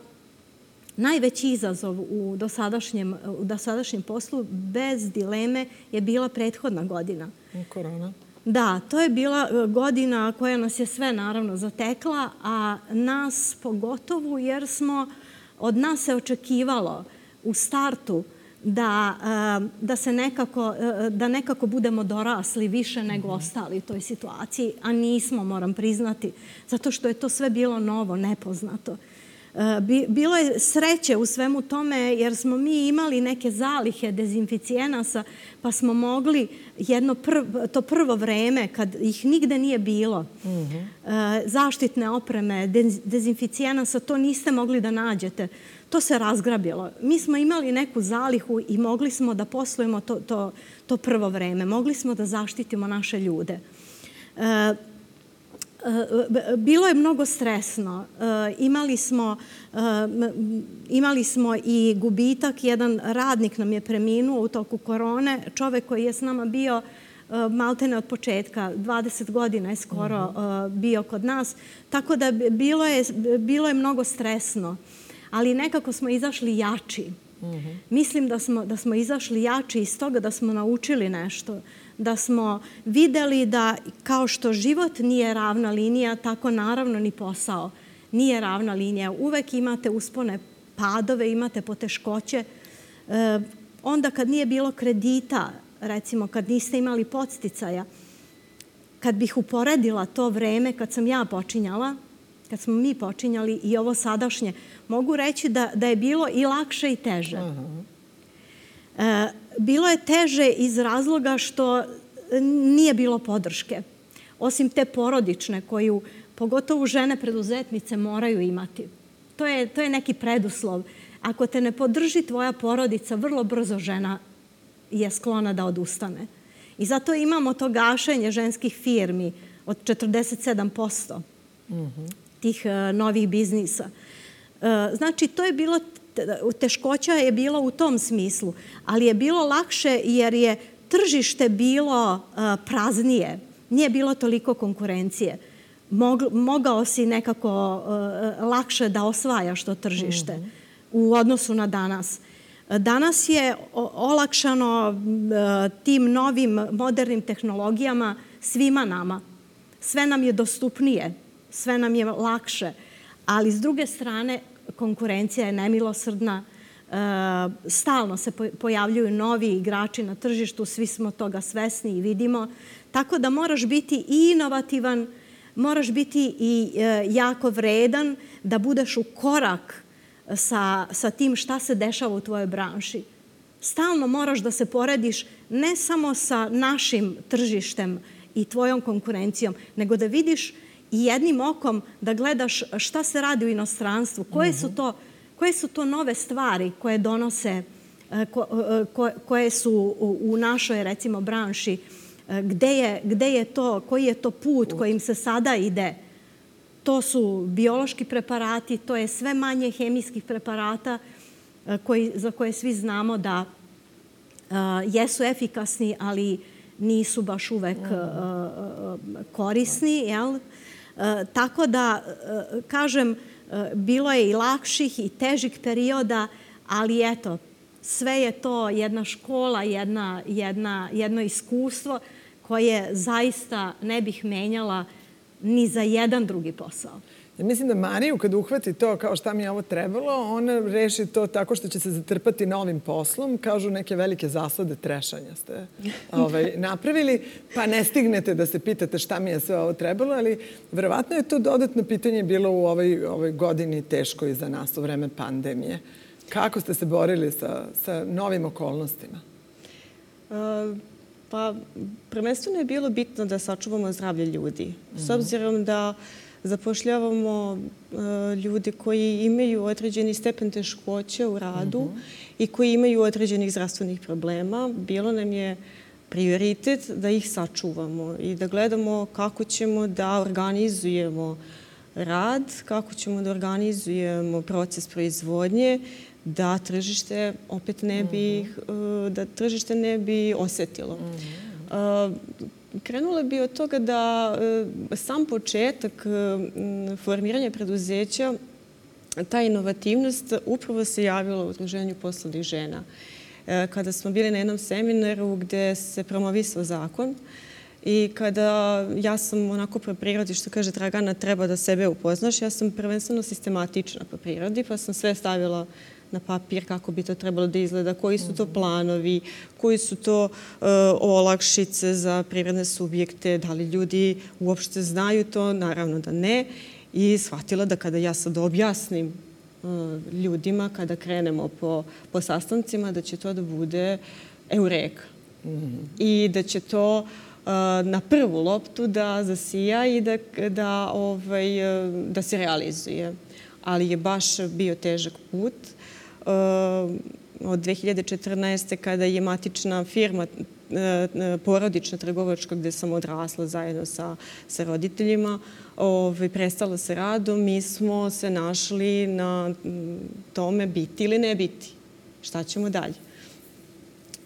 najveći izazov u dosadašnjem, u dosadašnjem poslu, bez dileme, je bila prethodna godina. Korona. Da, to je bila godina koja nas je sve naravno zatekla, a nas pogotovo jer smo, od nas se očekivalo u startu da, da se nekako, da nekako budemo dorasli više nego ostali u toj situaciji, a nismo, moram priznati, zato što je to sve bilo novo, nepoznato. Bilo je sreće u svemu tome jer smo mi imali neke zalihe dezinficijenasa pa smo mogli jedno prvo, to prvo vreme kad ih nigde nije bilo, mm-hmm. zaštitne opreme, dezinficijenasa, to niste mogli da nađete. To se razgrabilo. Mi smo imali neku zalihu i mogli smo da poslujemo to, to, to prvo vreme. Mogli smo da zaštitimo naše ljude. E, Bilo je mnogo stresno. Imali smo, imali smo i gubitak. Jedan radnik nam je preminuo u toku korone. Čovek koji je s nama bio maltene od početka. dvadeset godina je skoro bio kod nas. Tako da bilo je, bilo je mnogo stresno. Ali nekako smo izašli jači. Mislim da smo, da smo izašli jači iz toga da smo naučili nešto. Da smo videli da kao što život nije ravna linija, tako naravno ni posao nije ravna linija. Uvek imate uspone, padove, imate poteškoće. E, onda kad nije bilo kredita, recimo kad niste imali podsticaja, kad bih uporedila to vreme kad sam ja počinjala, kad smo mi počinjali i ovo sadašnje, mogu reći da, da je bilo i lakše i teže. Uh-huh. E, bilo je teže iz razloga što nije bilo podrške. Osim te porodične koju pogotovo žene preduzetnice moraju imati. To je, to je neki preduslov. Ako te ne podrži tvoja porodica, vrlo brzo žena je sklona da odustane. I zato imamo to gašenje ženskih firmi od četrdeset sedam posto uh-huh. tih uh, novih biznisa. Uh, znači, to je bilo, teškoća je bila u tom smislu, ali je bilo lakše jer je tržište bilo uh, praznije. Nije bilo toliko konkurencije. Mog, mogao si nekako uh, lakše da osvajaš to tržište uh-huh. u odnosu na danas. Danas je olakšano uh, tim novim modernim tehnologijama svima nama. Sve nam je dostupnije, sve nam je lakše, ali s druge strane konkurencija je nemilosrdna. Uh, stalno se pojavljuju novi igrači na tržištu, svi smo toga svesni i vidimo. Tako da moraš biti i inovativan, moraš biti i uh, jako vredan da budeš u korak sa, sa tim šta se dešava u tvojoj branši. Stalno moraš da se porediš ne samo sa našim tržištem i tvojom konkurencijom, nego da vidiš i jednim okom da gledaš šta se radi u inostranstvu, koje su to, koje su to nove stvari koje donose, ko, ko, koje su u, u našoj, recimo, branši, gde je, gde je to, koji je to put kojim se sada ide. To su biološki preparati, to je sve manje hemijskih preparata koji, za koje svi znamo da uh, jesu efikasni, ali nisu baš uvek uh, korisni. Jel? Uh, tako da, uh, kažem, uh, bilo je i lakših i težih perioda, ali eto, sve je to jedna škola, jedna, jedna, jedno iskustvo koje zaista ne bih menjala ni za jedan drugi posao. Ja mislim da Mariju, kad uhvati to kao šta mi je ovo trebalo, ona reši to tako što će se zatrpati novim poslom. Kažu, neke velike zasade trešanja ste ovaj, napravili, pa ne stignete da se pitate šta mi je sve ovo trebalo, ali verovatno je to dodatno pitanje bilo u ovoj, ovoj godini teško i za nas u vreme pandemije. Kako ste se borili sa, sa novim okolnostima? Uh... Pa, prvenstveno je bilo bitno da sačuvamo zdravlje ljudi. S obzirom da zapošljavamo uh, ljudi koji imaju određeni stepen teškoće u radu uh-huh. i koji imaju određenih zdravstvenih problema, bilo nam je prioritet da ih sačuvamo i da gledamo kako ćemo da organizujemo rad, kako ćemo da organizujemo proces proizvodnje, da tržište opet ne bi, uh-huh. da tržište ne bi osetilo. Uh-huh. Uh, krenula bi od toga da uh, sam početak uh, formiranja preduzeća, ta inovativnost upravo se javila u Udruženju poslovnih žena. Uh, kada smo bili na jednom seminaru gde se promovisao zakon i kada ja sam onako po prirodi, što kaže Dragana, treba da sebe upoznaš, ja sam prvenstveno sistematična po prirodi, pa sam sve stavila na papir kako bi to trebalo da izgleda, koji su to planovi, koji su to uh, olakšice za privredne subjekte, da li ljudi uopšte znaju to, naravno da ne. I shvatila da kada ja sad objasnim ljudima kada krenemo po, po sastancima da će to da bude eureka. Mm-hmm. I da će to uh, na prvu loptu da zasija i da, da, ovaj, da se realizuje. Ali je baš bio težak put. Uh, od dve hiljade četrnaeste. kada je matična firma porodična trgovačka gde sam odrasla zajedno sa, sa roditeljima, ovaj, prestala sa radom, mi smo se našli na tome biti ili ne biti. Šta ćemo dalje?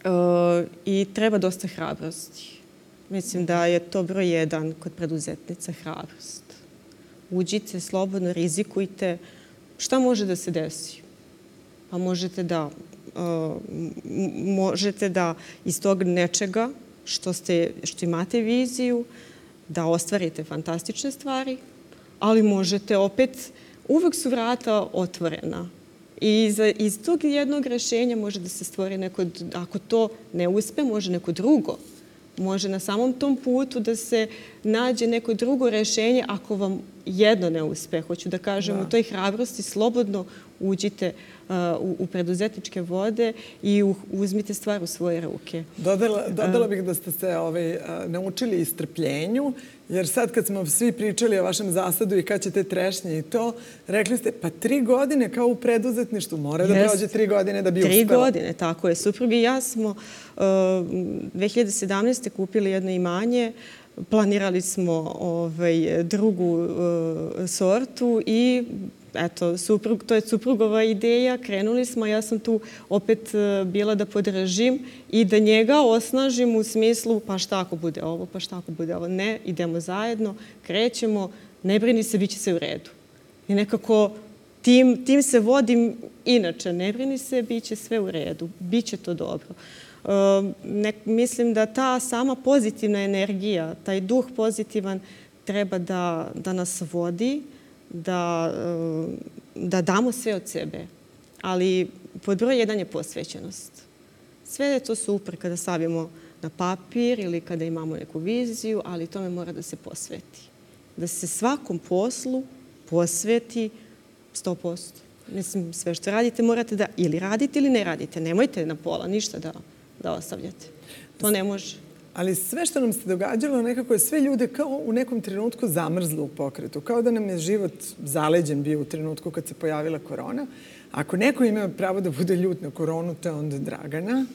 E, I treba dosta hrabrosti. Mislim da je to broj jedan kod preduzetnica, hrabrost. Uđite, slobodno, rizikujte. Šta može da se desi? Pa možete da Uh, možete da iz tog nečega što, ste, što imate viziju, da ostvarite fantastične stvari, ali možete opet, uvek su vrata otvorena. I iz, iz tog jednog rešenja može da se stvori neko, ako to ne uspe, može neko drugo. Može na samom tom putu da se nađe neko drugo rešenje ako vam jedno ne uspe. Hoću da kažem, da. U toj hrabrosti slobodno uđite uh, u, u preduzetničke vode i u, uzmite stvar u svoje ruke. Dodala, dodala bih da ste se ovaj, naučili istrpljenju, jer sad kad smo svi pričali o vašem zasadu i kad ćete trešnje i to, rekli ste pa tri godine kao u preduzetništvu, mora da prođe tri godine da bi uspela. Tri godine, tako je. Suprug i ja smo uh, dve hiljade sedamnaeste. kupili jedno imanje, planirali smo ovaj, drugu uh, sortu i eto, suprug, to je suprugova ideja, krenuli smo, ja sam tu opet uh, bila da podržim i da njega osnažim u smislu pa šta ako bude ovo, pa šta ako bude ovo. Ne, idemo zajedno, krećemo, ne brini se, bit će sve u redu. I nekako tim, tim se vodim inače, ne brini se, bit će sve u redu, bit će to dobro. Uh, ne, mislim da ta sama pozitivna energija, taj duh pozitivan treba da, da nas vodi, da, uh, da damo sve od sebe. Ali pod broj jedan je posvećenost. Sve je to super kada stavimo na papir ili kada imamo neku viziju, ali tome mora da se posveti. Da se svakom poslu posveti sto posto. Mislim, sve što radite morate da ili radite ili ne radite. Nemojte na pola ništa da da ostavljate. To ne može. Ali sve što nam se događalo, nekako je sve ljude kao u nekom trenutku zamrzlo u pokretu. Kao da nam je život zaleđen bio u trenutku kad se pojavila korona. Ako neko ima pravo da bude ljut na koronu, to je onda Dragana.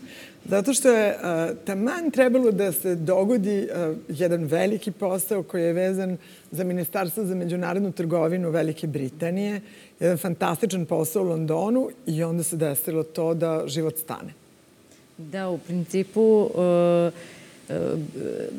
Zato što je uh, taman trebalo da se dogodi uh, jedan veliki posao koji je vezan za Ministarstvo za međunarodnu trgovinu Velike Britanije. Jedan fantastičan posao u Londonu i onda se desilo to da život stane. Da, u principu, uh, uh,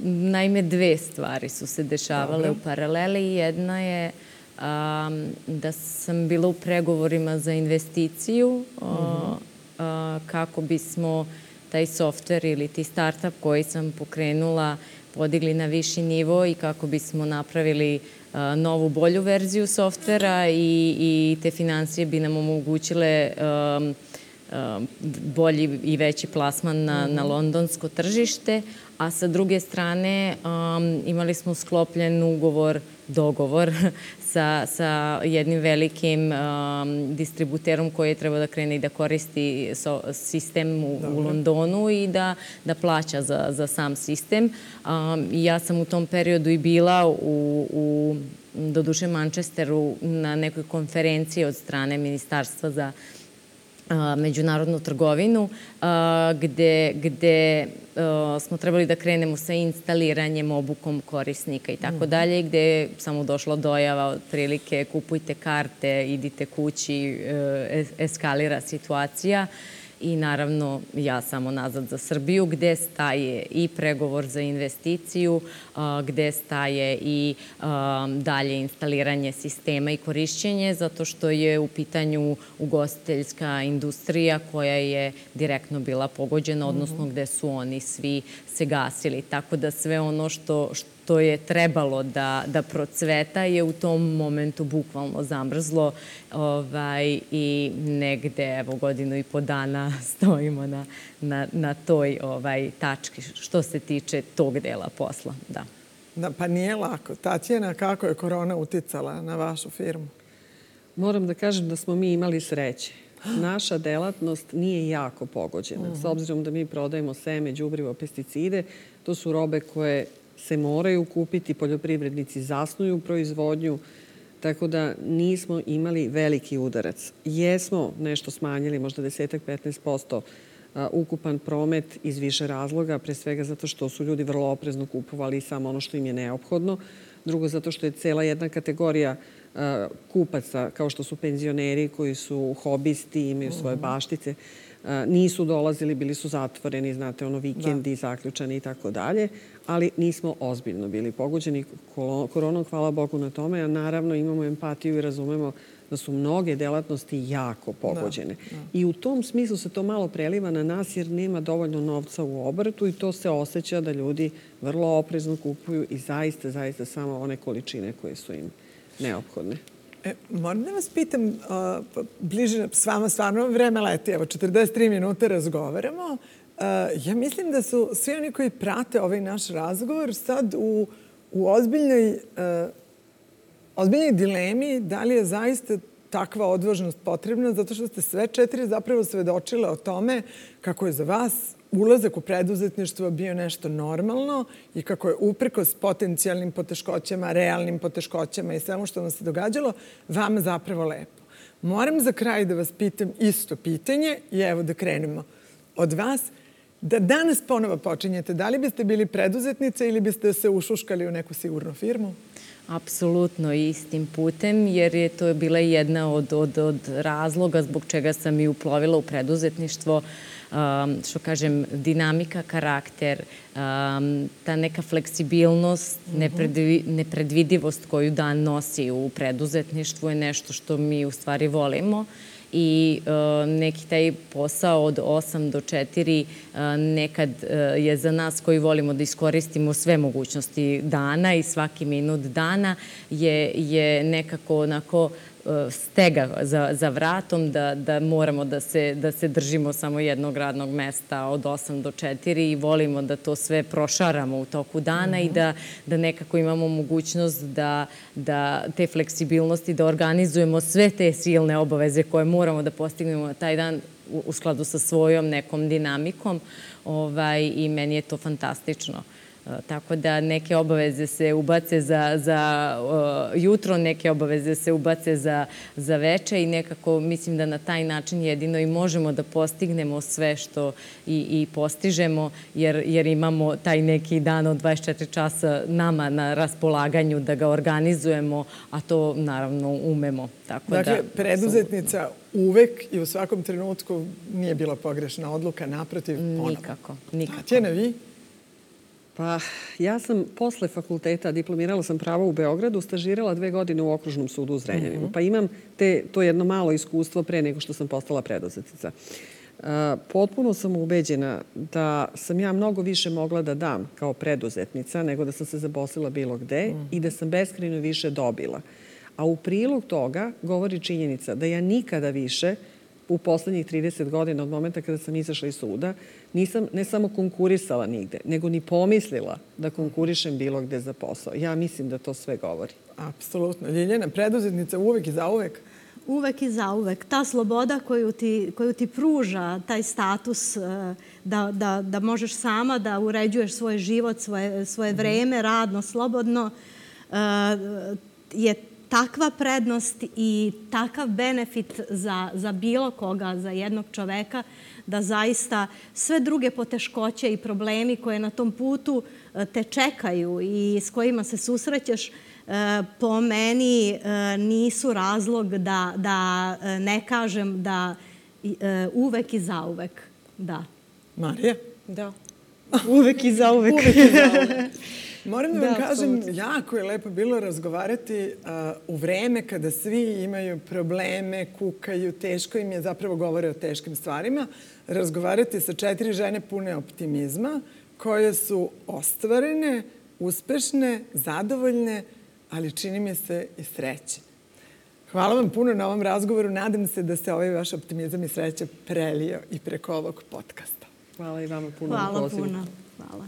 naime dve stvari su se dešavale Dobre. u paraleli. Jedna je um, da sam bila u pregovorima za investiciju uh, uh-huh. uh, kako bismo taj softver ili ti startup koji sam pokrenula podigli na viši nivo i kako bismo napravili uh, novu, bolju verziju softvera i, i te financije bi nam omogućile um, bolji i veći plasman na, mm-hmm. na londonsko tržište, a sa druge strane um, imali smo sklopljen ugovor, dogovor sa, sa jednim velikim um, distributerom koji je trebao da krene i da koristi so, sistem u, u Londonu i da, da plaća za, za sam sistem. Um, I ja sam u tom periodu i bila u, u doduše Manchesteru na nekoj konferenciji od strane Ministarstva za međunarodnu trgovinu, gde, gde smo trebali da krenemo sa instaliranjem, obukom korisnika i tako dalje, gde je samo došla dojava otprilike kupujte karte, idite kući, eskalira situacija. I naravno ja samo nazad za Srbiju, gde staje i pregovor za investiciju, gde staje i dalje instaliranje sistema i korišćenje, zato što je u pitanju ugostiteljska industrija koja je direktno bila pogođena, odnosno gde su oni svi se gasili. Tako da sve ono što, što je trebalo da, da procveta je u tom momentu bukvalno zamrzlo ovaj, i negde evo godinu i po dana stojimo na, na, na toj ovaj, tački što se tiče tog dela posla. Da. Da, pa nije lako. Tatjana, kako je korona uticala na vašu firmu? Moram da kažem da smo mi imali sreće. Naša delatnost nije jako pogođena. S obzirom da mi prodajemo seme, đubrivo, pesticide, to su robe koje se moraju kupiti, poljoprivrednici zasnuju proizvodnju, tako da nismo imali veliki udarac. Jesmo nešto smanjili, možda deset do petnaest posto ukupan promet iz više razloga, pre svega zato što su ljudi vrlo oprezno kupovali samo ono što im je neophodno. Drugo, zato što je cela jedna kategorija kupaca, kao što su penzioneri koji su hobisti, imaju svoje baštice, nisu dolazili, bili su zatvoreni, znate, ono vikendi, zaključani i tako dalje, ali nismo ozbiljno bili pogođeni koronom, hvala Bogu na tome, a naravno imamo empatiju i razumemo da su mnoge delatnosti jako pogođene. I u tom smislu se to malo preliva na nas jer nema dovoljno novca u obrtu i to se osjeća da ljudi vrlo oprezno kupuju i zaista, zaista samo one količine koje su im neophodne. E, moram da vas pitam, uh, bliže s vama stvarno vreme leti, evo četrdeset tri minute razgovaramo. Uh, ja mislim da su svi oni koji prate ovaj naš razgovor sad u, u ozbiljnoj, uh, ozbiljnoj dilemi da li je zaista takva odvažnost potrebna, zato što ste sve četiri zapravo svedočile o tome kako je za vas ulazak u preduzetništvo bio nešto normalno i kako je uprkos potencijalnim poteškoćama, realnim poteškoćama i svemu što vam se događalo, vama zapravo lepo. Moram za kraj da vas pitam isto pitanje i evo da krenemo od vas. Da danas ponovo počinjete, da li biste bili preduzetnica ili biste se ušuškali u neku sigurnu firmu? Apsolutno istim putem, jer je to bila jedna od, od, od razloga zbog čega sam i uplovila u preduzetništvo. Um, što kažem, dinamika, karakter, um, ta neka fleksibilnost, nepredvi, nepredvidivost koju dan nosi u preduzetništvu je nešto što mi u stvari volimo. I uh, neki taj posao od osam do četiri uh, nekad uh, je za nas koji volimo da iskoristimo sve mogućnosti dana i svaki minut dana je, je nekako onako stega za, za vratom, da, da moramo da se, da se držimo samo jednog radnog mesta od osam do četiri i volimo da to sve prošaramo u toku dana mm-hmm. i da, da nekako imamo mogućnost da, da te fleksibilnosti, da organizujemo sve te silne obaveze koje moramo da postignemo na taj dan u, u skladu sa svojom nekom dinamikom ovaj, i meni je to fantastično. Tako da neke obaveze se ubace za, za uh, jutro, neke obaveze se ubace za, za veče i nekako mislim da na taj način jedino i možemo da postignemo sve što i, i postižemo jer, jer imamo taj neki dan od dvadeset četiri časa nama na raspolaganju da ga organizujemo, a to naravno umemo. Tako dakle, da, preduzetnica uvek i u svakom trenutku nije bila pogrešna odluka, naprotiv, ponovno. Nikako, nikako. Tatjana, vi? Pa, ja sam posle fakulteta, diplomirala sam pravo u Beogradu, stažirala dve godine u Okružnom sudu u Zrenjaninu. Uh-huh. Pa imam te, to jedno malo iskustvo pre nego što sam postala preduzetnica. Uh, potpuno sam ubeđena da sam ja mnogo više mogla da dam kao preduzetnica nego da sam se zaposlila bilo gde uh-huh. i da sam beskrajno više dobila. A u prilog toga govori činjenica da ja nikada više u poslednjih trideset godina od momenta kada sam izašla iz suda, nisam ne samo konkurisala nigde, nego ni pomislila da konkurišem bilo gde za posao. Ja mislim da to sve govori. Apsolutno. Ljiljana, preduzetnica uvek i zauvek? Uvek i zauvek. Ta sloboda koju ti, koju ti pruža, taj status da, da, da možeš sama da uređuješ svoj život, svoje, svoje vreme, radno, slobodno, je takva prednost i takav benefit za, za bilo koga, za jednog čoveka, da zaista sve druge poteškoće i problemi koje na tom putu te čekaju i s kojima se susrećeš, po meni nisu razlog da, da ne kažem da uvek i zauvek, da. Marija? Da. Uvek i zauvek. Uvek i zauvek. Moram da vam da, kažem, absolutno. Jako je lepo bilo razgovarati uh, u vreme kada svi imaju probleme, kukaju, teško im je, zapravo govore o teškim stvarima, razgovarati sa četiri žene pune optimizma, koje su ostvarene, uspešne, zadovoljne, ali čini mi se i sreće. Hvala vam puno na ovom razgovoru. Nadam se da se ovaj vaš optimizam i sreća prelio i preko ovog podcasta. Hvala i vama puno. Hvala puno. Hvala.